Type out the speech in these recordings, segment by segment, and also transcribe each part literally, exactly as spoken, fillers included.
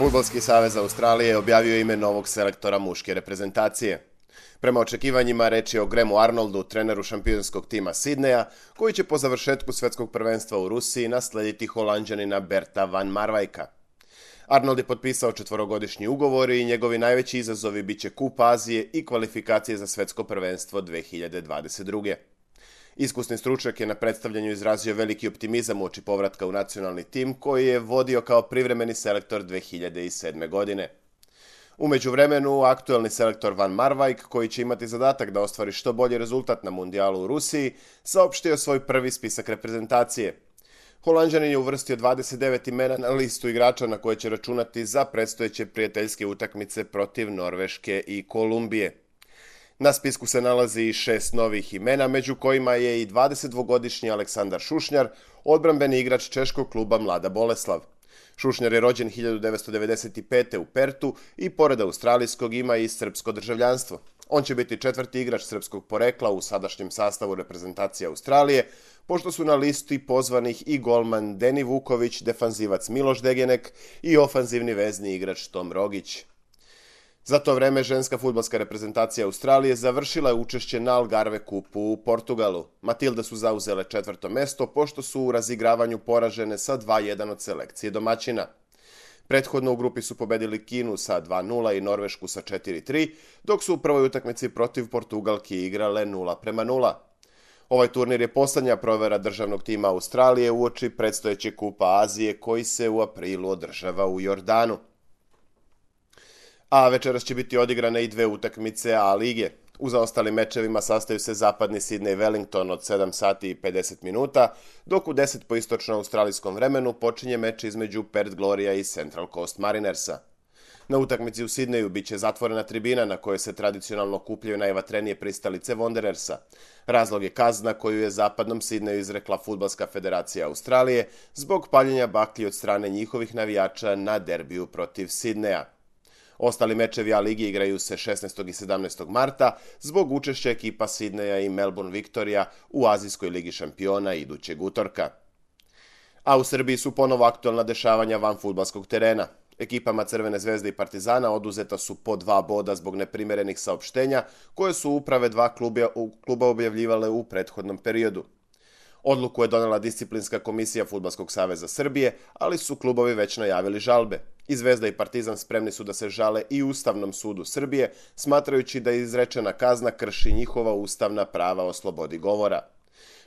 Fudbalski savez Australije objavio je ime novog selektora muške reprezentacije. Prema očekivanjima reč je o Grahamu Arnoldu, treneru šampionskog tima Sidneja, koji će po završetku svetskog prvenstva u Rusiji naslediti Holanđanina Berta van Marwijka. Arnold je potpisao četvorogodišnji ugovor i njegovi najveći izazovi biće Kup Azije i kvalifikacije za svetsko prvenstvo dve hiljade dvadeset druge. Iskusni stručnjak je na predstavljanju izrazio veliki optimizam uoči povratka u nacionalni tim koji je vodio kao privremeni selektor dve hiljade sedme. godine. U međuvremenu, aktuelni selektor Van Marwijk, koji će imati zadatak da ostvari što bolji rezultat na mundijalu u Rusiji, saopštio svoj prvi spisak reprezentacije. Holanđanin je uvrstio dvadeset devet imena na listu igrača na koje će računati za predstojeće prijateljske utakmice protiv Norveške i Kolumbije. Na spisku se nalazi i šest novih imena, među kojima je i dvadesetdvogodišnji Aleksandar Šušnjar, odbrambeni igrač češkog kluba Mlada Boleslav. Šušnjar je rođen hiljadu devetsto devedeset pete. u Pertu i pored australijskog ima i srpsko državljanstvo. On će biti četvrti igrač srpskog porekla u sadašnjem sastavu reprezentacije Australije, pošto su na listi pozvanih i golman Deni Vuković, defanzivac Miloš Degenek i ofanzivni vezni igrač Tom Rogić. Za to vreme ženska fudbalska reprezentacija Australije završila je učešće na Algarve kupu u Portugalu. Matilde su zauzele četvrto mesto, pošto su u razigravanju poražene sa dva jedan od selekcije domaćina. Prethodno u grupi su pobedili Kinu sa dva nula i Norvešku sa četiri tri, dok su u prvoj utakmici protiv Portugalki igrale nula prema nula. Ovaj turnir je poslednja provera državnog tima Australije uoči predstojeće Kupa Azije koji se u aprilu održava u Jordanu. A večeras će biti odigrane i dve utakmice A lige. U zaostalim mečevima sastaju se zapadni Sidney i Wellington od sedam sati i pedeset minuta, dok u deset po istočno-australijskom vremenu počinje meč između Perth Gloria i Central Coast Marinersa. Na utakmici u Sidneju biće zatvorena tribina na kojoj se tradicionalno kupljaju najvatrenije pristalice Wanderersa. Razlog je kazna koju je zapadnom Sidneju izrekla Fudbalska federacija Australije zbog paljenja baklji od strane njihovih navijača na derbiju protiv Sidneja. Ostali mečevi A ligi igraju se šesnaestog i sedamnaestog marta zbog učešća ekipa Sidneja i Melbourne Victoria u Azijskoj ligi šampiona idućeg utorka. A u Srbiji su ponovo aktualna dešavanja van fudbalskog terena. Ekipama Crvene zvezde i Partizana oduzeta su po dva boda zbog neprimerenih saopštenja koje su uprave dva kluba, kluba objavljivale u prethodnom periodu. Odluku je donela disciplinska komisija Fudbalskog saveza Srbije, ali su klubovi već najavili žalbe. I Zvezda i Partizan spremni su da se žale i Ustavnom sudu Srbije, smatrajući da izrečena kazna krši njihova ustavna prava o slobodi govora.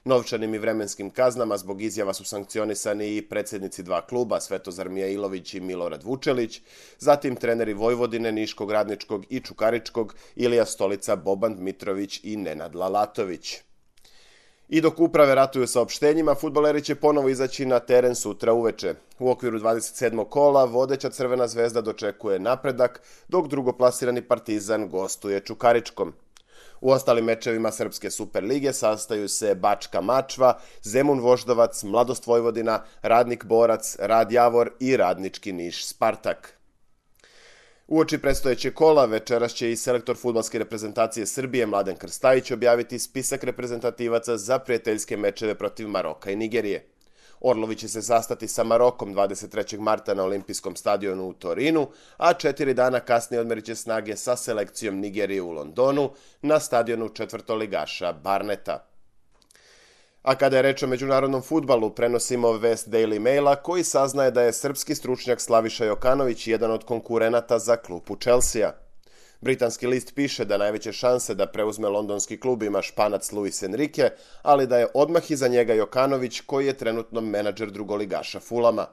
Novčanim i vremenskim kaznama zbog izjava su sankcionisani i predsjednici dva kluba, Svetozar Mijailović i Milorad Vučelić, zatim treneri Vojvodine, Niškog, Radničkog i Čukaričkog, Ilija Stolica, Boban Dmitrović i Nenad Lalatović. I dok uprave ratuju saopštenjima, fudbaleri će ponovo izaći na teren sutra uveče. U okviru dvadeset sedmog kola vodeća Crvena zvezda dočekuje Napredak, dok drugoplasirani Partizan gostuje Čukaričkom. U ostalim mečevima Srpske Superlige sastaju se Bačka Mačva, Zemun Voždovac, Mladost Vojvodina, Radnik Borac, Rad Javor i Radnički Niš Spartak. Uoči predstojeće kola večeras će i selektor fudbalske reprezentacije Srbije Mladen Krstajić objaviti spisak reprezentativaca za prijateljske mečeve protiv Maroka i Nigerije. Orlovi će se sastati sa Marokom dvadeset trećeg marta na olimpijskom stadionu u Torinu, a četiri dana kasnije odmerit će snage sa selekcijom Nigerije u Londonu na stadionu četvrtoligaša Barneta. A kada je reč o međunarodnom fudbalu, prenosimo vest Daily Maila koji saznaje da je srpski stručnjak Slaviša Jokanović jedan od konkurenata za klupu Chelsea. Britanski list piše da najveće šanse da preuzme londonski klub ima Španac Luis Enrique, ali da je odmah iza njega Jokanović koji je trenutno menadžer drugoligaša Fulama.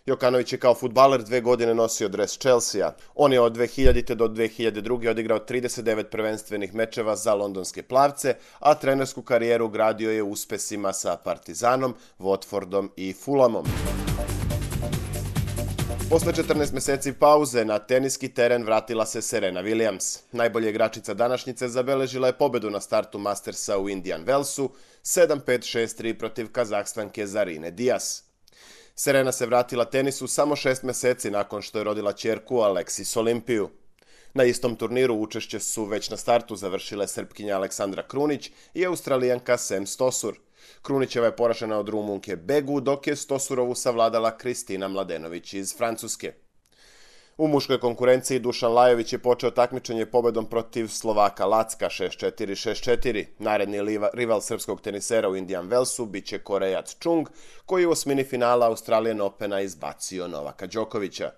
Jokanović je kao fudbaler dve godine nosio dres Chelsea. On je od dve hiljadite do dve hiljade druge. odigrao trideset devet prvenstvenih mečeva za londonske plavce, a trenersku karijeru gradio je uspesima sa Partizanom, Watfordom i Fulamom. Posle četrnaest meseci pauze na teniski teren vratila se Serena Williams. Najbolja igračica današnjice zabeležila je pobedu na startu Mastersa u Indian Wellsu sedam pet šest tri protiv Kazahstanke Zarine Diaz. Serena se vratila tenisu samo šest meseci nakon što je rodila ćerku Aleksis Olimpiju. Na istom turniru učešće su već na startu završile Srpkinja Aleksandra Krunić i Australijanka Sam Stosur. Krunićeva je poražena od Rumunke Begu, dok je Stosurovu savladala Kristina Mladenović iz Francuske. U muškoj konkurenciji Dušan Lajović je počeo takmičenje pobedom protiv Slovaka Lacka šest četiri šest četiri. Naredni rival srpskog tenisera u Indian Wellsu biće Korejac Chung, koji je u osmini finala Australian Opena izbacio Novaka Đokovića.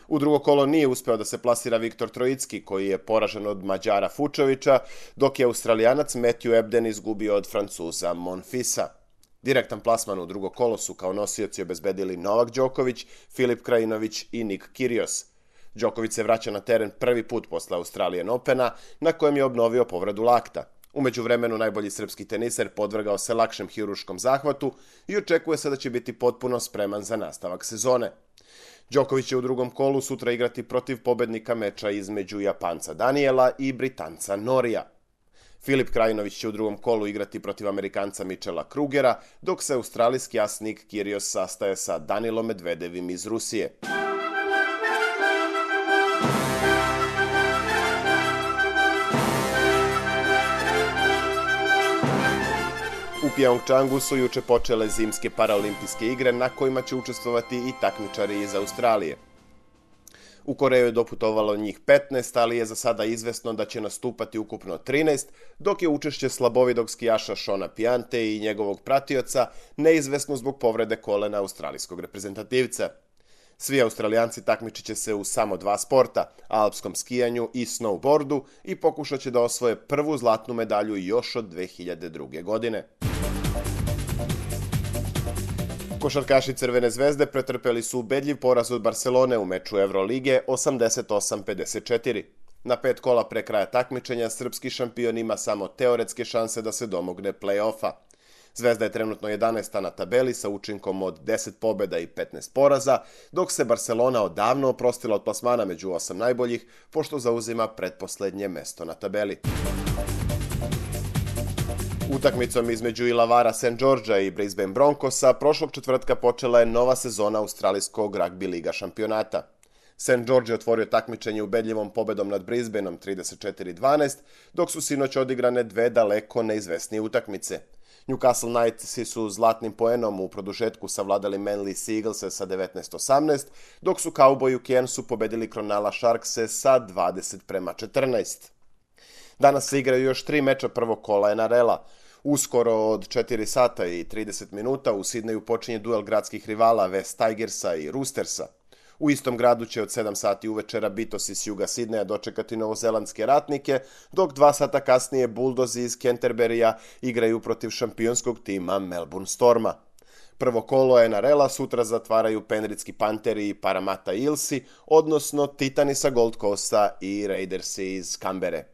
U drugo kolo nije uspeo da se plasira Viktor Trojicki, koji je poražen od Mađara Fučovića, dok je Australijanac Matthew Ebden izgubio od Francuza Monfisa. Direktan plasman u drugo kolo su kao nosioci obezbedili Novak Đoković, Filip Krajinović i Nik Kyrgios. Đoković se vraća na teren prvi put posle Australian Opena, na kojem je obnovio povredu lakta. U međuvremenu najbolji srpski teniser podvrgao se lakšem hiruškom zahvatu i očekuje se da će biti potpuno spreman za nastavak sezone. Đoković će u drugom kolu sutra igrati protiv pobednika meča između Japanca Daniela i Britanca Norija. Filip Krajinović će u drugom kolu igrati protiv Amerikanca Michela Krugera, dok se australijski as Nik Kyrgios sastaje sa Danilom Medvedevim iz Rusije. U Pyeongchangu su juče počele zimske paraolimpijske igre na kojima će učestvovati i takmičari iz Australije. U Koreju je doputovalo njih petnaest, ali je za sada izvesno da će nastupati ukupno trinaest, dok je učešće slabovidog skijaša Shona Piante i njegovog pratioca neizvesno zbog povrede kolena australijskog reprezentativca. Svi Australijanci takmičit će se u samo dva sporta, alpskom skijanju i snowboardu, i pokušat će da osvoje prvu zlatnu medalju još od dve hiljade druge. godine. Košarkaši Crvene zvezde pretrpeli su ubedljiv poraz od Barcelone u meču Evrolige osamdeset osam pedeset četiri. Na pet kola pre kraja takmičenja srpski šampion ima samo teoretske šanse da se domogne play-offa. Zvezda je trenutno jedanaesta na tabeli sa učinkom od deset pobeda i petnaest poraza, dok se Barcelona odavno oprostila od plasmana među osam najboljih, pošto zauzima pretposlednje mesto na tabeli. Utakmicom između Illawarra Saint Georgea i Brisbane Broncosa prošlog četvrtka počela je nova sezona australijskog ragbi liga šampionata. Saint George je otvorio takmičenje ubedljivom pobedom nad Brisbaneom trideset četiri dvanaest, dok su sinoć odigrane dve daleko neizvesnije utakmice. Newcastle Knightsi su zlatnim poenom u produžetku savladali Manly Seaglese sa devetnaest osamnaest, dok su Cowboyi u Cairnsu pobedili Cronulla Sharkse sa dvadeset prema četrnaest. Danas se igraju još tri meča prvog kola N R L-a. Uskoro od četiri sata i trideset minuta u Sidneju počinje duel gradskih rivala West Tigersa i Roostersa. U istom gradu će od sedam sati uvečera Bitosi s juga Sidneja dočekati novozelandske ratnike, dok dva sata kasnije Bulldozi iz Canterburyja igraju protiv šampionskog tima Melbourne Storma. Prvo kolo N R L-a sutra zatvaraju Penrithski Pantheri i Parramatta Eelsi, odnosno Titani sa Gold Coasta i Raidersi iz Kambere.